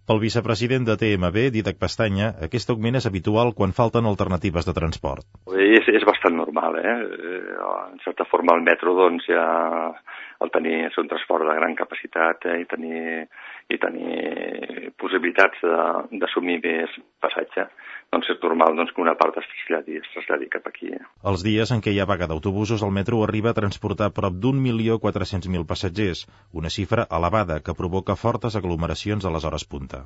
Pel vicepresident de TMB, Dídac Pestanya, aquest augment és habitual quan falten alternatives de transport. És bastant normal, En certa forma el metro, doncs, ja al tenir un transport de gran capacitat i tenir possibilitats d'assumir més passatge, doncs és normal que una part es traslladi cap aquí. Els dies en què hi ha vaga d'autobusos, el metro arriba a transportar prop d'1.400.000 passatgers, una xifra elevada que provoca fortes aglomeracions a les hores punta.